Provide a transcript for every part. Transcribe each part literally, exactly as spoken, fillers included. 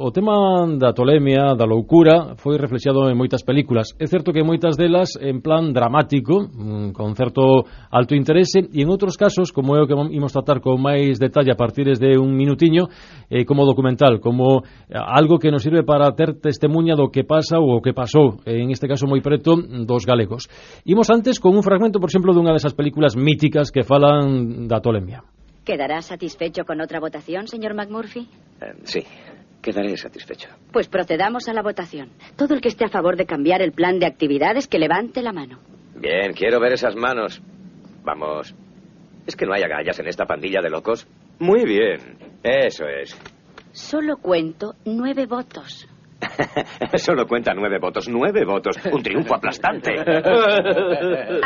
o tema da tolemia, da loucura, foi reflexado en moitas películas. É certo que moitas delas en plan dramático, con certo alto interese, e en outros casos, como é o que imos tratar con máis detalle a partir de un minutiño, eh, como documental, como algo que nos sirve para ter testemunha do que pasa ou o que pasou, en este caso moi preto, dos galegos. Imos antes con un fragmento, por exemplo, dunha desas películas míticas que falan da tolemia. ¿Quedará satisfecho con otra votación, señor McMurphy? Eh, sí, quedaré satisfecho. Pues procedamos a la votación. Todo el que esté a favor de cambiar el plan de actividades, que levante la mano. Bien, quiero ver esas manos. Vamos. ¿Es que no hay agallas en esta pandilla de locos? Muy bien, eso es. Solo cuento nueve votos. Solo cuenta nueve votos. Nueve votos. Un triunfo aplastante.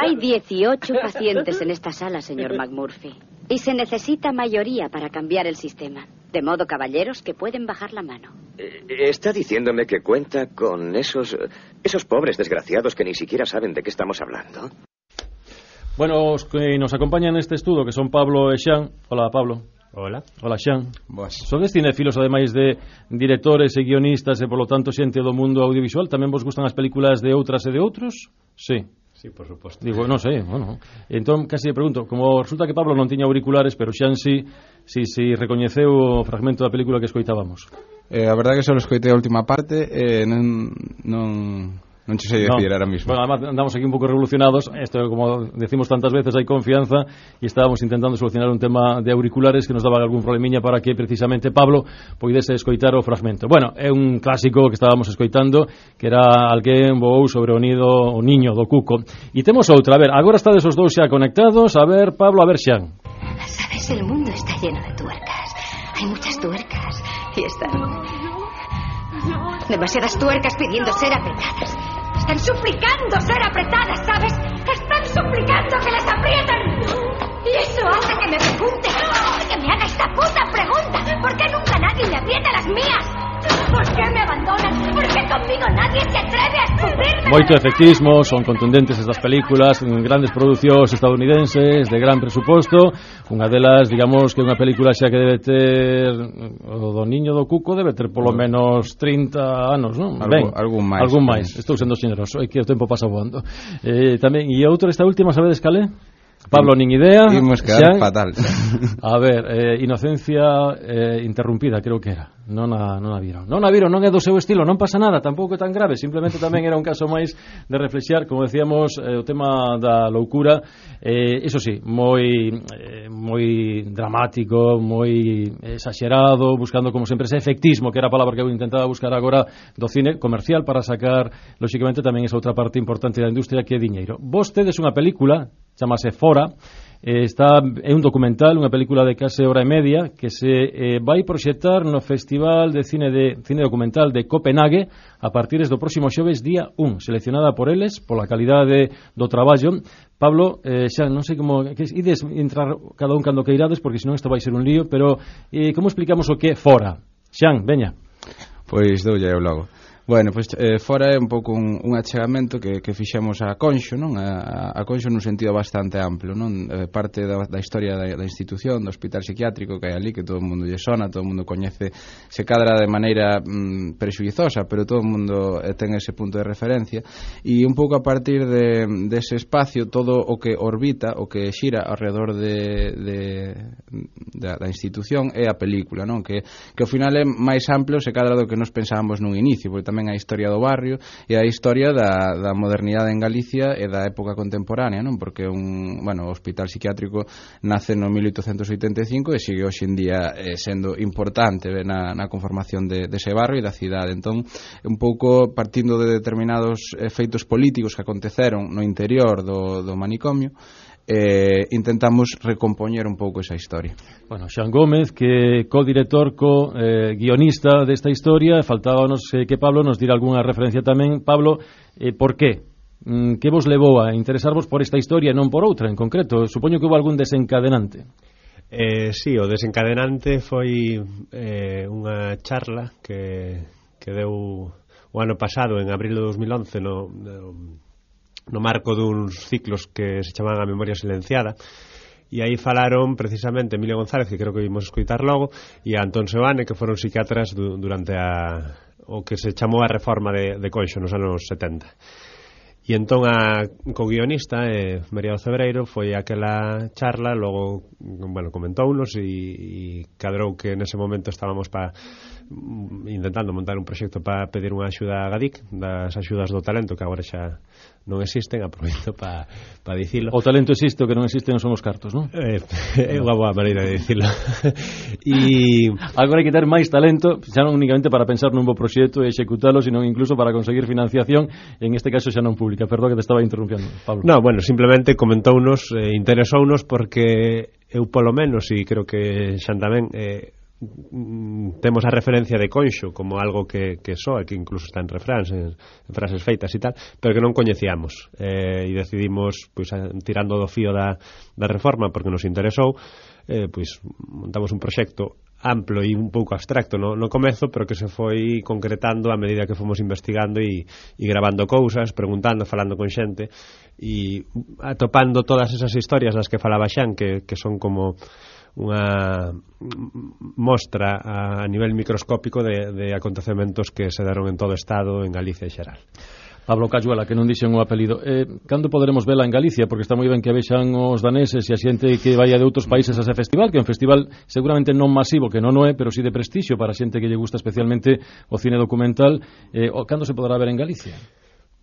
Hay dieciocho pacientes en esta sala, señor McMurphy. Y se necesita mayoría para cambiar el sistema. De modo, caballeros, que pueden bajar la mano. Eh, ¿Está diciéndome que cuenta con esos, esos pobres desgraciados que ni siquiera saben de qué estamos hablando? Bueno, os que nos acompañan neste estudo, que son Pablo e Xan. Hola, Pablo. Hola. Hola, Xan. Boas. Sodes cinefilos, ademais de directores e guionistas e, polo tanto, xente do mundo audiovisual. Tamén vos gustan as películas de outras e de outros? Sí. Sí, por suposto. Digo, non sei, bueno. Entón, casi me pregunto, como resulta que Pablo non tiña auriculares, pero Xan sí, sí, sí recoñeceu o fragmento da película que escoitábamos. Eh, a verdade que só escoitei a última parte e eh, non... non... Non che sei decir no. ahora mismo. Bueno, además andamos aquí un pouco revolucionados. Esto, como decimos tantas veces, hai confianza e estábamos intentando solucionar un tema de auriculares que nos daba algún problemiña para que precisamente Pablo poidese escoitar o fragmento. Bueno, é un clásico que estábamos escoitando, que era alguén voou sobre o nido o niño do cuco. E temos outra, a ver, agora estades os dous xa conectados. A ver, Pablo, a ver, Xan. Sabes, el mundo está lleno de tuercas. Hay muchas tuercas y están... demasiadas tuercas pidiendo ser apretadas. Están suplicando ser apretadas, ¿sabes? Están suplicando que las aprieten. Y eso hace que me pregunte, que me haga esta puta pregunta. ¿Por qué nunca nadie me aprieta las mías? ¿Por qué me abandonan? ¿Por qué conmigo nadie se atreve a escupirme? Moito efectismo, son contundentes estas películas, grandes producións estadounidenses de gran presuposto. Unha delas, digamos, que é unha película xa que debe ter o do niño do cuco debe ter polo menos trinta anos, non? Algo, Ben, algún máis. Algún máis. Estou sendo xeneroso, é que o tempo pasa voando. Eh, tamén, e outra, esta última, sabedes cal é? Pablo, nin idea. Imos quedar Xan, fatal. A ver, eh, Inocencia eh, interrumpida, creo que era. Non a, non a viron. Non a viron, non é do seu estilo, non pasa nada, tampouco é tan grave, simplemente tamén era un caso máis de reflexar, como decíamos, eh, o tema da loucura, eh, eso sí, moi eh, moi dramático, moi exagerado, buscando como sempre ese efectismo, que era a palabra que eu intentaba buscar agora do cine comercial para sacar, lóxicamente, tamén esa outra parte importante da industria que é diñeiro. Vos tedes unha película, chamase Fora, eh, está, é un documental, unha película de case hora e media que se eh, vai proxectar no Festival de Cine de Cine Documental de Copenhague a partir do próximo xoves día un, seleccionada por eles pola calidade do traballo. Pablo, eh, xa non sei como que ides entrar cada un cando queirades, porque senón isto vai ser un lío, pero eh, como explicamos o que é Fora? Xan, veña. Pois doulle eu logo. Bueno, pois eh, Fora é un pouco un, un achegamento que, que fixemos a Conxo, non? A, a Conxo nun sentido bastante amplo, non? Eh, parte da, da historia da, da institución, do hospital psiquiátrico que hai ali, que todo o mundo lle sona, todo o mundo coñece, se cadra de maneira mm, prexuizosa, pero todo o mundo eh, ten ese punto de referencia, e un pouco a partir de, de ese espacio, todo o que orbita, o que xira alrededor de, de, da, da institución é a película, non? Que, que ao final é máis amplo se cadra do que nos pensábamos nun inicio, porque tamén a historia do barrio e a historia da, da modernidade en Galicia e da época contemporánea, non? Porque un, bueno, o hospital psiquiátrico nace no mil oitocentos oitenta e cinco e sigue hoxe en día eh, sendo importante na, na conformación de, de ese barrio e da cidade. Entón, un pouco partindo de determinados efeitos políticos que aconteceron no interior do, do manicomio, Eh, intentamos recompoñer un pouco esa historia. Bueno, Xan Gómez, que co-director, co-guionista desta historia, faltábanos eh, que Pablo nos dira algunha referencia tamén. Pablo, eh, por qué? Mm, que vos levou a interesarvos por esta historia e non por outra en concreto? Supoño que houve algún desencadenante. Eh, sí, o desencadenante foi eh, unha charla que, que deu o ano pasado, en abril de dos mil once, no... no no marco duns ciclos que se chamaban A Memoria Silenciada, e aí falaron precisamente Emilio González, que creo que vimos escoitar logo, e a Antón Seoane, que foron psiquiatras du, durante a, o que se chamou a reforma de, de Conxo nos anos setenta. E entón a co-guionista, eh, María do Cebreiro, foi aquela charla, logo, bueno, comentounos e, e cadrou que nese momento estábamos pa, intentando montar un proxecto para pedir unha axuda a Gadic, das axudas do talento, que agora xa non existen, aproveito para pa dicilo. O talento existe, o que non existe non son os cartos, non? Eh, é unha boa maneira de dicilo. E agora hai que ter máis talento, xa non únicamente para pensar nun bo proxecto e executalo, sino incluso para conseguir financiación, en este caso xa non pública. Perdón que te estaba interrumpiendo, Pablo. No, bueno, simplemente comentounos, eh, interesounos porque eu polo menos, e creo que xan tamén, eh, temos a referencia de Conxo como algo que, que soa, que incluso está en refráns, en, en frases feitas e tal, pero que non coñecíamos, eh, e decidimos, pois, tirando do fío da, da reforma porque nos interesou, eh, pois montamos un proxecto amplo e un pouco abstracto no, no comezo, pero que se foi concretando a medida que fomos investigando e, e gravando cousas, preguntando, falando con xente e atopando todas esas historias das que falaba Xan, que, que son como unha mostra a nivel microscópico de, de acontecementos que se deron en todo o Estado, en Galicia en xeral. Pablo Cayuela, que non dixen o apelido. Eh, cando poderemos vela en Galicia? Porque está moi ben que vexan os daneses e a xente que vai de outros países a ese festival, que é un festival seguramente non masivo, que non o é, pero sí de prestixio para a xente que lle gusta especialmente o cine documental. Eh, cando se poderá ver en Galicia?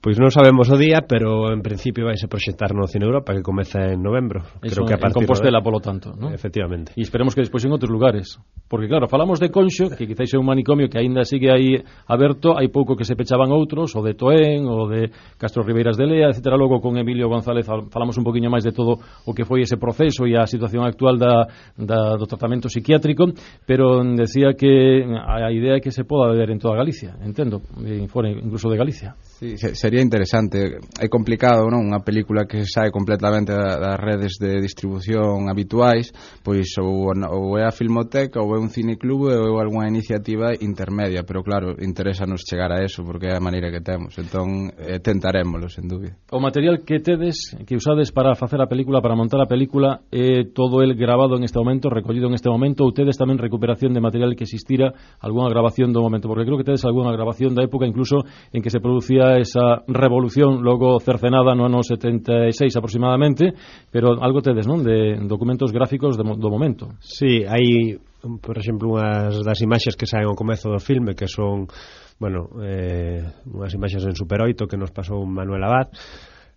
Pois non sabemos o día, pero en principio vai se proxectar no Cine Europa, que comeza en novembro. Eso, creo que a partir en Compostela, de... polo tanto, ¿no? Efectivamente. E esperemos que despois en outros lugares. Porque claro, falamos de Conxo, que quizáis é un manicomio que aínda sigue aí aberto, hai pouco que se pechaban outros, o de Toén, o de Castro Ribeiras de Lea, etcétera. Logo con Emilio González falamos un poquinho máis de todo o que foi ese proceso e a situación actual da, da, do tratamento psiquiátrico, pero decía que a idea é que se poda ver en toda Galicia, entendo, fora incluso de Galicia. Sí, sería interesante. É complicado, non? Unha película que sae completamente das redes de distribución habituais, pois ou, ou é a Filmoteca ou é un cineclub ou é algunha iniciativa intermedia, pero claro, interesanos chegar a eso porque é a maneira que temos, entón eh, tentarémolo, sen dúbida. O material que tedes, que usades para facer a película, para montar a película, é todo el grabado en este momento, recollido en este momento, ou tedes tamén recuperación de material que existira, algunha grabación do momento, porque creo que tedes algunha grabación da época incluso en que se producía esa revolución logo cercenada no ano setenta e seis aproximadamente, pero algo tedes, non? De documentos gráficos de, do momento. Sí, hai, por exemplo, unhas das imaxes que saen ao comezo do filme, que son, bueno, eh, unhas imaxes en Super oito que nos pasou Manuel Abad,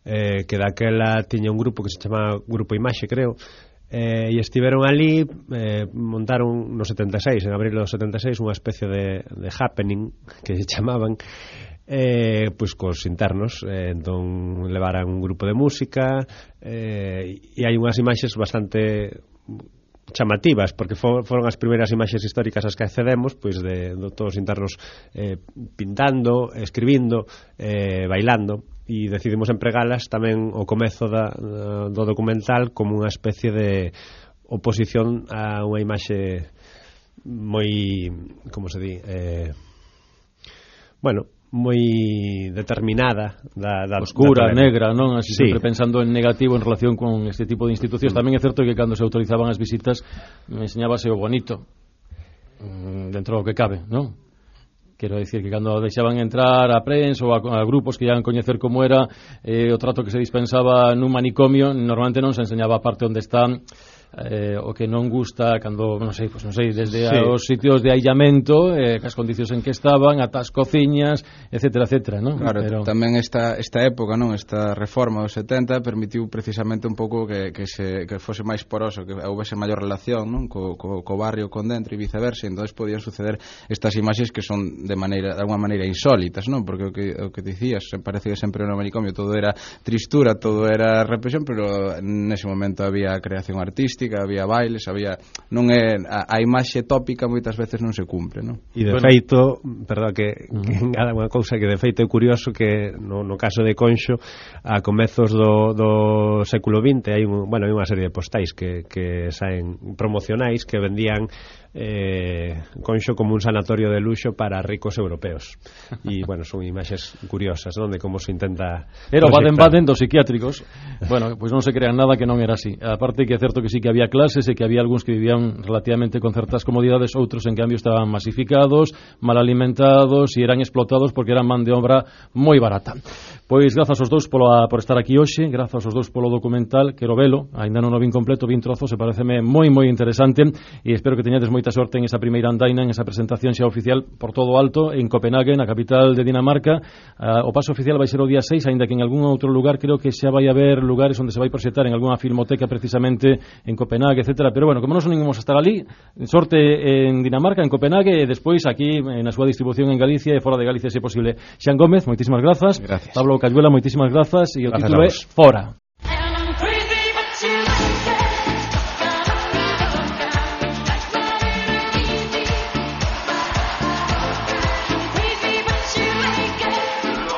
eh, que daquela tiña un grupo que se chama Grupo Imaxe, creo, eh, e estiveron ali, eh, montaron no setenta e seis, en abril do setenta e seis, unha especie de, de happening que se chamaban, eh, pois cos internos, eh, entón levaran un grupo de música, eh, e hai unhas imaxes bastante chamativas, porque for, foron as primeiras imaxes históricas as que accedemos, pois de, de todos os internos eh, pintando, escribindo, eh, bailando, e decidimos empregalas tamén o comezo da, do documental como unha especie de oposición a unha imaxe moi, como se di, eh, bueno, moi determinada da, da oscura, da negra, non? Así sí. Sempre pensando en negativo en relación con este tipo de institucións. Mm. Tamén é certo que cando se autorizaban as visitas me enseñábase o bonito dentro do que cabe, non? Quero dicir que cando deixaban entrar a prensa ou a, a grupos que iban coñecer como era eh, o trato que se dispensaba nun manicomio, normalmente non se enseñaba a parte onde están eh, o que non gusta cando, non sei, pues non sei, desde sí. os sitios de aillamento, eh, as condicións en que estaban, ata as cociñas, etcétera, etcétera, non? Claro, pero... tamén esta, esta época, non, esta reforma dos setenta permitiu precisamente un pouco que, que, se, que fose máis poroso, que houvese maior relación, non, co, co, co barrio con dentro e viceversa, e entón podían suceder estas imaxes que son de maneira, de alguma maneira insólitas, non? Porque o que, o que dicías, parece que sempre no manicomio todo era tristura, todo era represión, pero nese momento había creación artística, había bailes, había non é a, a imaxe tópica moitas veces non se cumpre, non? E de bueno. feito, perdón que, que engada unha cousa que de feito é curioso que no, no caso de Conxo a comezos do, do século vinte hai un, bueno, hai unha serie de postais que, que saen promocionais que vendían eh, Conxo como un sanatorio de luxo para ricos europeos e, bueno, son imaxes curiosas, non? De como se intenta era o Baden-Baden dos psiquiátricos. Bueno, pois pues non se crean nada que non era así. Aparte que é certo que sí que que había clases e que había algúns que vivían relativamente con certas comodidades, outros en cambio estaban masificados, mal alimentados e eran explotados porque eran man de obra moi barata. Pois grazas aos dous polo, por estar aquí hoxe, grazas aos dous polo documental, quero velo, ainda non o vin completo, vin trozos e pareceme moi moi interesante e espero que teñades moita sorte en esa primeira andaina, en esa presentación xa oficial por todo o alto en Copenhague, na capital de Dinamarca. Uh, o paso oficial vai ser o día seis, aínda que en algún outro lugar creo que xa vai haber lugares onde se vai proxectar en algunha filmoteca precisamente en Copenhague, etcétera. Pero bueno, como non son ningún a estar ali, sorte en Dinamarca, en Copenhague e despois aquí na súa distribución en Galicia e fora de Galicia se posible. Xan Gómez, moitísimas grazas. Gracias. Pablo Cayuela, moitísimas grazas e o Gracias título é Fora.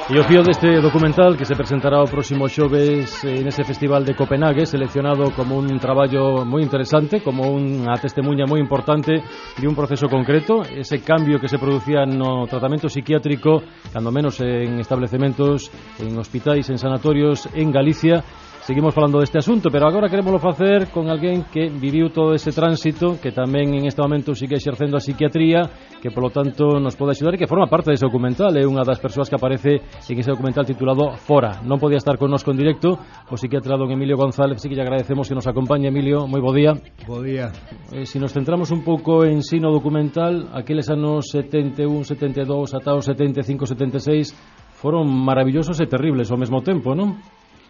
E o fío deste documental que se presentará o próximo xoves en ese festival de Copenhague, seleccionado como un traballo moi interesante, como unha testemunha moi importante de un proceso concreto, ese cambio que se producía no tratamento psiquiátrico, cando menos en establecementos, en hospitais, en sanatorios en Galicia. Seguimos falando deste asunto, pero agora queremoslo facer con alguén que viviu todo ese tránsito, que tamén en este momento sigue exercendo a psiquiatría, que polo tanto nos pode axudar e que forma parte dese documental, é unha das persoas que aparece en ese documental titulado Fora. Non podía estar connosco en directo o psiquiatra don Emilio González, así que lle agradecemos que nos acompañe. Emilio, moi bo día. Bo día. Eh, si nos centramos un pouco en sí no documental, aqueles anos setenta e un, setenta e dous ata os setenta e cinco, setenta e seis foron maravillosos e terribles ao mesmo tempo, non?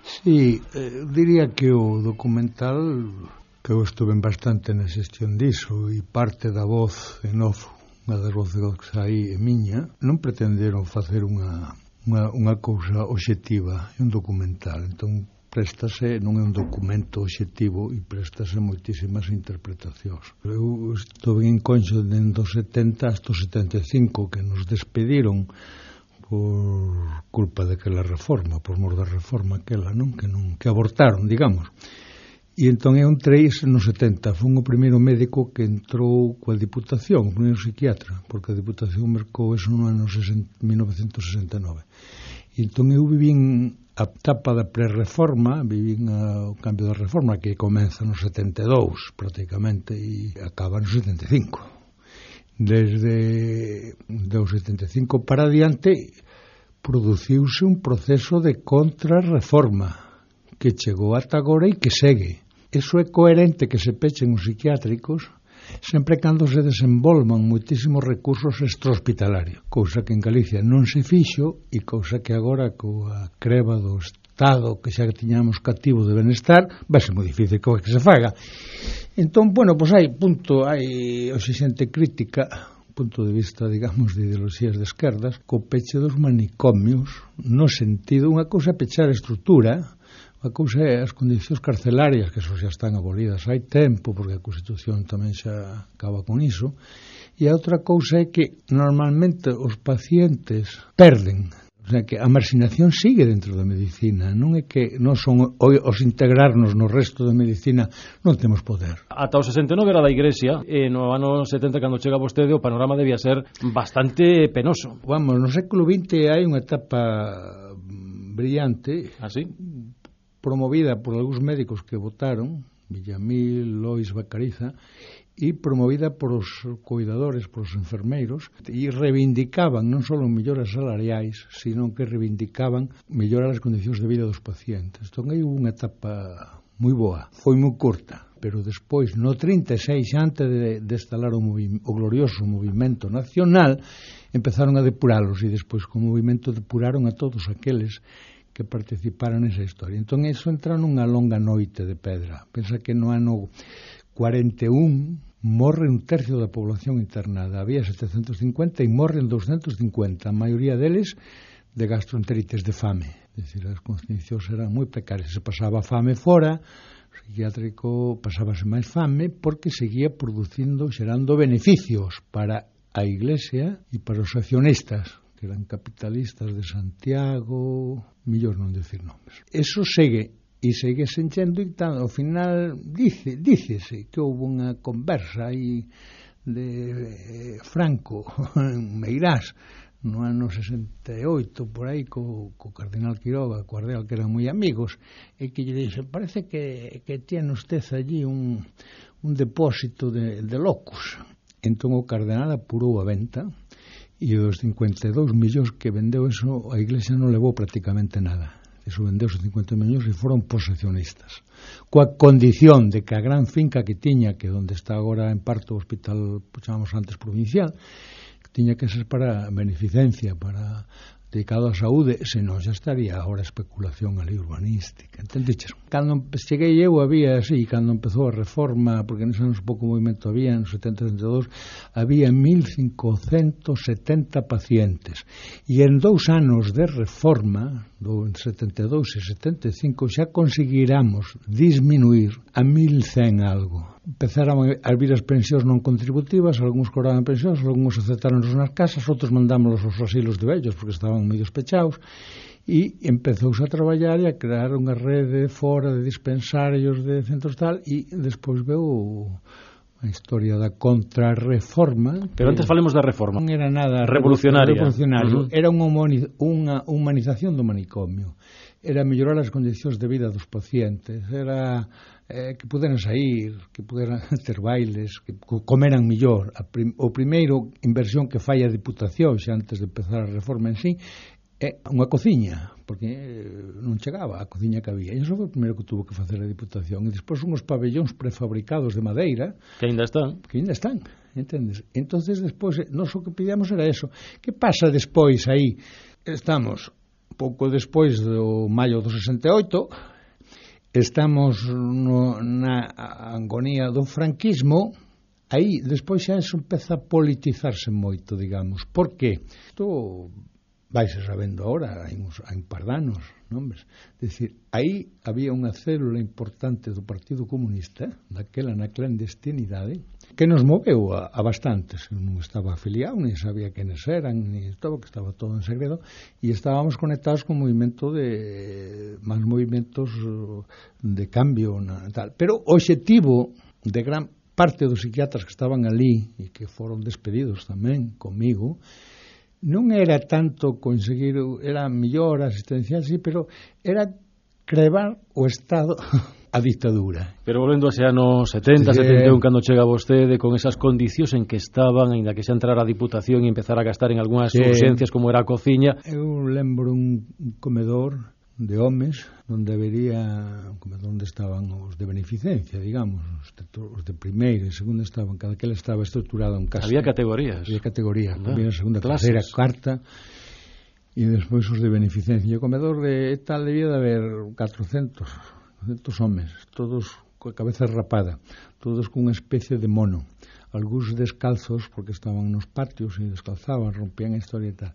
Sí, eh, diría que o documental, que eu estuve bastante na xestión diso, e parte da voz en off, unha das voces que saí é miña, non pretenderon facer unha, unha, unha cousa obxectiva, é un documental, entón préstase, non é un documento obxectivo e préstase moitísimas interpretacións. Eu estuve en Conxo dende os setenta hasta os setenta e cinco, que nos despediron por culpa daquela reforma, por mor da reforma aquela, non? Que non que abortaron, digamos. E entón eu entrei nos setenta, fun o primeiro médico que entrou coa Diputación, o primeiro psiquiatra, porque a Diputación mercou eso no ano mil novecentos sesenta e nove. E entón eu vivín a etapa da pre-reforma, vivín a, o cambio da reforma, que comeza no setenta e dous, prácticamente, e acaba no setenta e cinco. Desde o setenta e cinco para adiante produciuse un proceso de contrarreforma que chegou ata agora e que segue. Eso é coherente que se pechen os psiquiátricos sempre cando se desenvolvan moitísimos recursos extrahospitalarios, cousa que en Galicia non se fixo e cousa que agora coa creba do Estado que xa tiñamos cativo de benestar vai ser moi difícil que se faga. Entón, bueno, pois hai punto, hai hoxe xente crítica, punto de vista, digamos, de ideoloxías de esquerdas, co peche dos manicomios, no sentido, unha cousa é pechar a estrutura, unha cousa é as condicións carcelarias, que eso xa están abolidas hai tempo, porque a Constitución tamén xa acaba con iso, e a outra cousa é que normalmente os pacientes perden. O sea, que a marxinación sigue dentro da medicina, non é que non son os integrarnos no resto da medicina non temos poder. Ata o sesenta e nove era da Iglesia, e no ano setenta, cando chega vostede, o panorama debía ser bastante penoso. Vamos, no século vinte hai unha etapa brillante, ¿Ah, sí? promovida por algúns médicos que votaron, Villamil, Lois, Bacariza, e promovida por os cuidadores, por os enfermeiros, e reivindicaban non só melloras salariais, sino que reivindicaban mellorar as condicións de vida dos pacientes. Entón, hai unha etapa moi boa, foi moi curta, pero despois, no trinta e seis, antes de, de instalar o, movi- o glorioso movimento nacional, empezaron a depuralos, e despois, co movimento, depuraron a todos aqueles que participaran nesa historia. Entón, iso entra nunha longa noite de pedra. Pensa que no ano cuarenta e un morre un tercio da población internada. Había setecentos cincuenta e morren doscientos cincuenta. A maioría deles de gastroenteritis, de fame. É dicir, as condicións eran moi precarias. Se pasaba fame fora, o psiquiátrico pasábase máis fame porque seguía producindo, xerando beneficios para a Iglesia e para os accionistas, que eran capitalistas de Santiago, millor non decir nomes. Eso segue. E segue senchendo e tal, ao final dice, dícese que houve unha conversa aí de eh, Franco en Meirás no ano sesenta e oito, por aí, co, co cardenal Quiroga, co cardenal, que eran moi amigos, e que lle dixo, parece que, que tiene usted allí un, un depósito de, de locus. Entón o cardenal apurou a venta, e os cincuenta e dous millóns que vendeu eso, a Iglesia non levou prácticamente nada. Eso vendeu os cincuenta millóns e foron posesionistas, coa condición de que a gran finca que tiña, que onde está agora en parte o hospital, chamamos antes provincial, que tiña que ser para beneficencia, para dedicado á saúde, senón xa estaría agora especulación ali urbanística, entendeches? Cando cheguei eu había así, cando empezou a reforma, porque neses anos pouco movimento había, nos setenta e setenta e dous había mil cincocentos setenta pacientes, e en dous anos de reforma, do setenta e dous e setenta e cinco, xa conseguiramos disminuir a mil cen algo. Empezaron a vir as pensións non contributivas, algúns cobraban pensións, algúns aceptaron nas casas, outros mandámoslos aos asilos de vellos porque estaban moi despechados, e empezouse a traballar e a crear unha rede fora de dispensarios de centros tal, e despois veu a historia da contrarreforma. Pero antes falemos da reforma. Non era nada revolucionaria. revolucionario. Uh-huh. Era unha, unha humanización do manicomio. Era mellorar as condicións de vida dos pacientes, era eh, que puderan sair, que puderan ter bailes, que comeran mellor. A prim, o primeiro inversión que fai a Diputación xa antes de empezar a reforma en sí é unha cociña, porque non chegaba a cociña que había. E iso foi o primeiro que tuvo que facer a Diputación. E despois unhos pabellóns prefabricados de madeira que ainda están, que ainda están, entendes? Entonces despois nós o que pedíamos era eso. Que pasa despois aí? Estamos pouco despois do maio do sesenta e oito, estamos no, na agonía do franquismo. Aí despois xa eso empeza a politizarse moito, digamos. Por que? Isto vaise sabendo agora, hai uns, hai un par de anos, non? É dicir, aí había unha célula importante do Partido Comunista, daquela na clandestinidade, que nos moveu a, a bastantes. Non estaba afiliado, nem sabía quenes eran, ni todo, que estaba todo en segredo, e estábamos conectados con movimento de máis movimentos de cambio na, tal. Pero o obxectivo de gran parte dos psiquiatras que estaban ali e que foron despedidos tamén comigo, non era tanto conseguir, era mellor asistencial, sí, pero era crevar o Estado a dictadura. Pero volvendo a ese ano setenta, sí, setenta e un, cando chega vostede con esas condicións en que estaban, ainda que xa entrara a Diputación e empezar a gastar en algunhas sí. urgencias como era a cociña. Eu lembro un comedor de homes onde habería un comedor onde estaban os de beneficencia, digamos, os de, os de primeira e segunda estaban, cada que estaba estruturado en casa. Había categorías. Había categorías, ah, había segunda, clases. terceira, cuarta, e despois os de beneficencia. E o comedor de tal debía de haber catrocentos homes, todos coa cabeza rapada, todos con unha especie de mono, algúns descalzos porque estaban nos patios e descalzaban, rompían a historia e tal,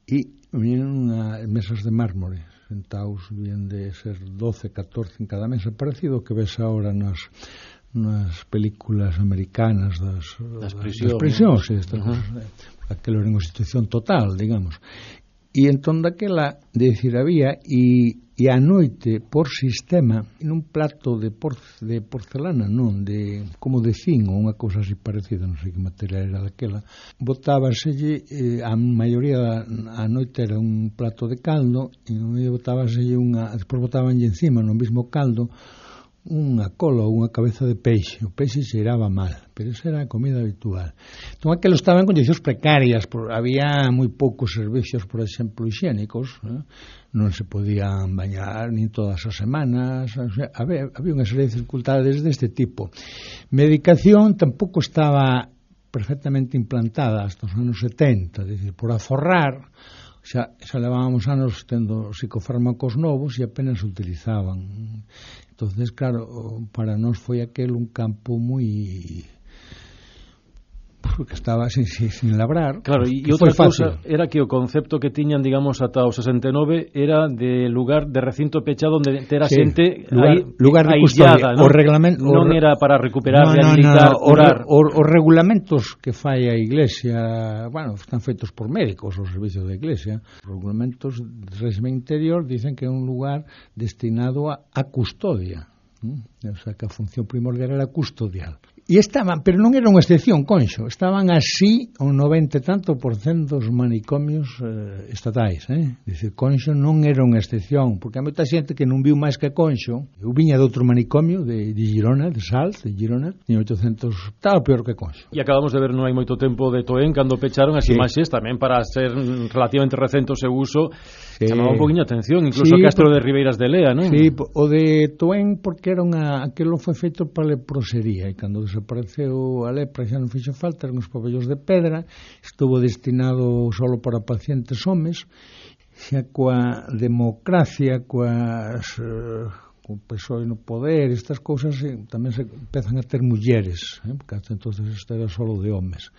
e vinieron a mesas de mármore sentados, bien de ser doce, catorce en cada mesa, parecido que ves ahora nas nas películas americanas das, das prisións, das prisións e estas uh-huh. cosas, aquela era unha situación total, digamos. E entón daquela, de decir, había e, e a noite, por sistema, nun plato de, porce, de porcelana, non, de, como de zinc, ou unha cousa así parecida, non sei que material era daquela, botábaselle, eh, a maioría a noite era un plato de caldo, e no medio botábaselle unha, despois botábanlle encima, no mismo caldo, unha cola ou unha cabeza de peixe. O peixe cheiraba mal, pero esa era a comida habitual. Entón, aquilo estaba en condicións precarias, por, había moi poucos servicios, por exemplo, higiénicos, eh? Non se podían bañar nin todas as semanas, o sea, había, había unha serie de dificultades deste tipo. Medicación tampouco estaba perfectamente implantada hasta os anos setenta, é dicir, por aforrar, xa, xa levábamos anos tendo psicofármacos novos e apenas se utilizaban. Entonces, claro, para nós foi aquel un campo moi que estaba sin, sin, sin labrar. Claro, e outra cousa era que o concepto que tiñan, digamos, ata o sesenta e nove era de lugar, de recinto pechado onde ter a sí, xente lugar, aí, lugar de aislada, custodia. O reglamento, non o, era para recuperar, no, rehabilitar, no, no, curar. Os regulamentos que fai a Iglesia, bueno, están feitos por médicos, os servicios da Iglesia. Os regulamentos de régimen interior dicen que é un lugar destinado a, a custodia. O sea, que a función primordial era custodial. E estaban, pero non era unha excepción, Conxo, estaban así un noventa e tanto por cento dos manicomios eh, estatais, eh? Dicir, Conxo non era unha excepción, porque hai moita xente que non viu máis que Conxo. Eu viña de outro manicomio de, de Girona, de Salt, de Girona, en oitocentos, estaba peor que Conxo. E acabamos de ver non hai moito tempo de Toén cando pecharon as sí. imaxes tamén para ser relativamente recente o seu uso, sí. chamaba un poquinho a atención, incluso sí, o Castro por... de Ribeiras de Lea, non? Sí, o de Toén porque era unha, aquilo foi feito para leprosería, e cando desapareceu a lepra xa non fixo falta, eran os pabellos de pedra, estuvo destinado solo para pacientes homes, xa coa democracia, coas eh, co P S O E no poder, estas cousas eh, tamén se empezan a ter mulleres, eh, porque hasta entonces isto era solo de homes.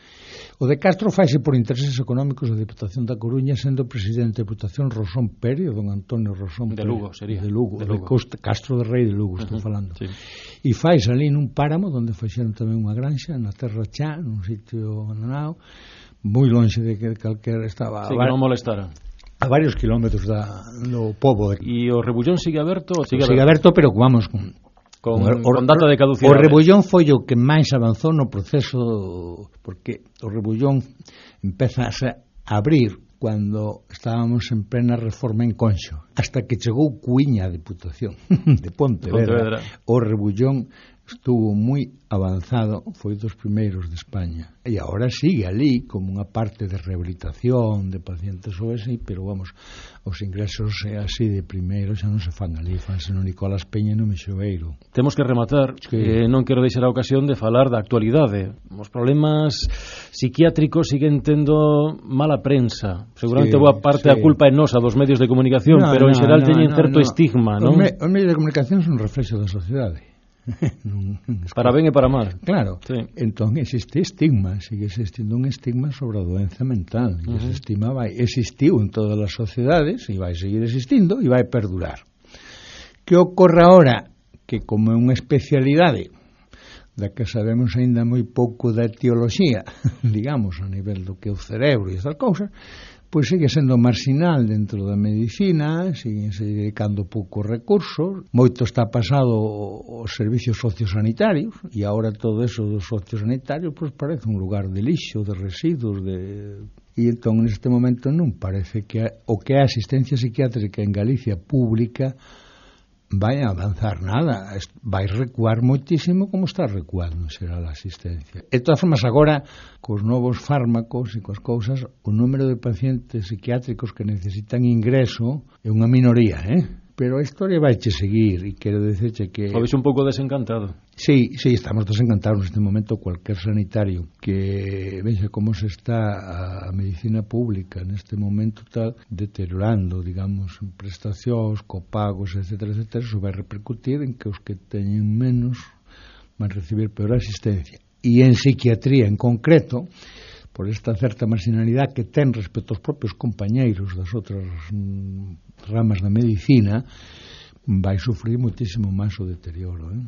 O de Castro faise por intereses económicos da Diputación da Coruña, sendo presidente da Diputación Rosón Pérez, don Antonio Rosón de Lugo, sería. De Lugo, de Lugo. De Costa, Castro de Rei de Lugo, estou uh-huh, falando. Sí. E fais ali nun páramo, onde fixeron tamén unha granxa, na Terra Chá, nun sitio abandonado, moi lonxe de que calquera estaba... Sí, que non molestara. A varios kilómetros da, do pobo. De... E o Rebullón sigue aberto? Sigue, sigue aberto, pero vamos con... Con, o, con data de caducidade. O Rebullón foi o que máis avanzou no proceso, porque o Rebullón empeza a abrir cando estábamos en plena reforma en Conxo, hasta que chegou Cuiña a Diputación de Pontevedra. O Rebullón estuvo moi avanzado, foi dos primeiros de España, e agora sigue ali como unha parte de rehabilitación de pacientes O S I, pero vamos, os ingresos así de primeiro xa non se fan ali, fanse no Nicolás Peña e no Mexoeiro. Temos que rematar, sí. eh, non quero deixar a ocasión de falar da actualidade. Os problemas psiquiátricos siguen tendo mala prensa, seguramente sí, boa parte sí. a culpa é nosa dos medios de comunicación, no, pero en xeral no, teñen no, certo no. estigma, non? Os, me, os medios de comunicación son un reflexo da sociedade. Para ben e para mal. Claro, sí. Entón existe estigma, sigue existindo un estigma sobre a doenza mental, e uh-huh. ese estigma vai, existiu en todas as sociedades e vai seguir existindo e vai perdurar. Que ocorre agora? Que como é unha especialidade da que sabemos aínda moi pouco da etioloxía, digamos, a nivel do que é o cerebro e estas cousas, pois sigue sendo marginal dentro da medicina, sigue se dedicando poucos recursos, moito está pasado aos servicios sociosanitarios, e agora todo eso dos sociosanitarios pois parece un lugar de lixo, de residuos, de... e entón neste momento non parece que o que é a asistencia psiquiátrica en Galicia pública vai a avanzar nada, vai recuar moitísimo como está recuando será a asistencia. De todas formas, agora, cos novos fármacos e coas cousas, o número de pacientes psiquiátricos que necesitan ingreso é unha minoría, eh? Pero a historia vai che seguir e quero dicirche que... O ves un pouco desencantado? Sí, sí, estamos desencantados neste momento. Cualquier sanitario que vexa como se está a medicina pública neste momento tal, deteriorando, digamos, en prestacións, copagos, etcétera, etcétera, eso vai repercutir en que os que teñen menos van recibir peor asistencia. E en psiquiatría en concreto, por esta certa marginalidade que ten respecto aos propios compañeiros das outras mm, ramas da medicina, vai sufrir muitísimo máis o deterioro, eh?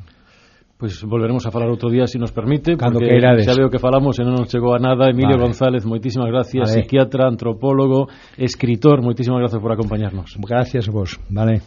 Pois pues volveremos a falar outro día, se si nos permite, cando porque queirades. Xa veo que falamos e non nos chegou a nada. Emilio vale. González, moitísimas gracias, vale. Psiquiatra, antropólogo, escritor, moitísimas gracias por acompañarnos. Gracias a vos, vale.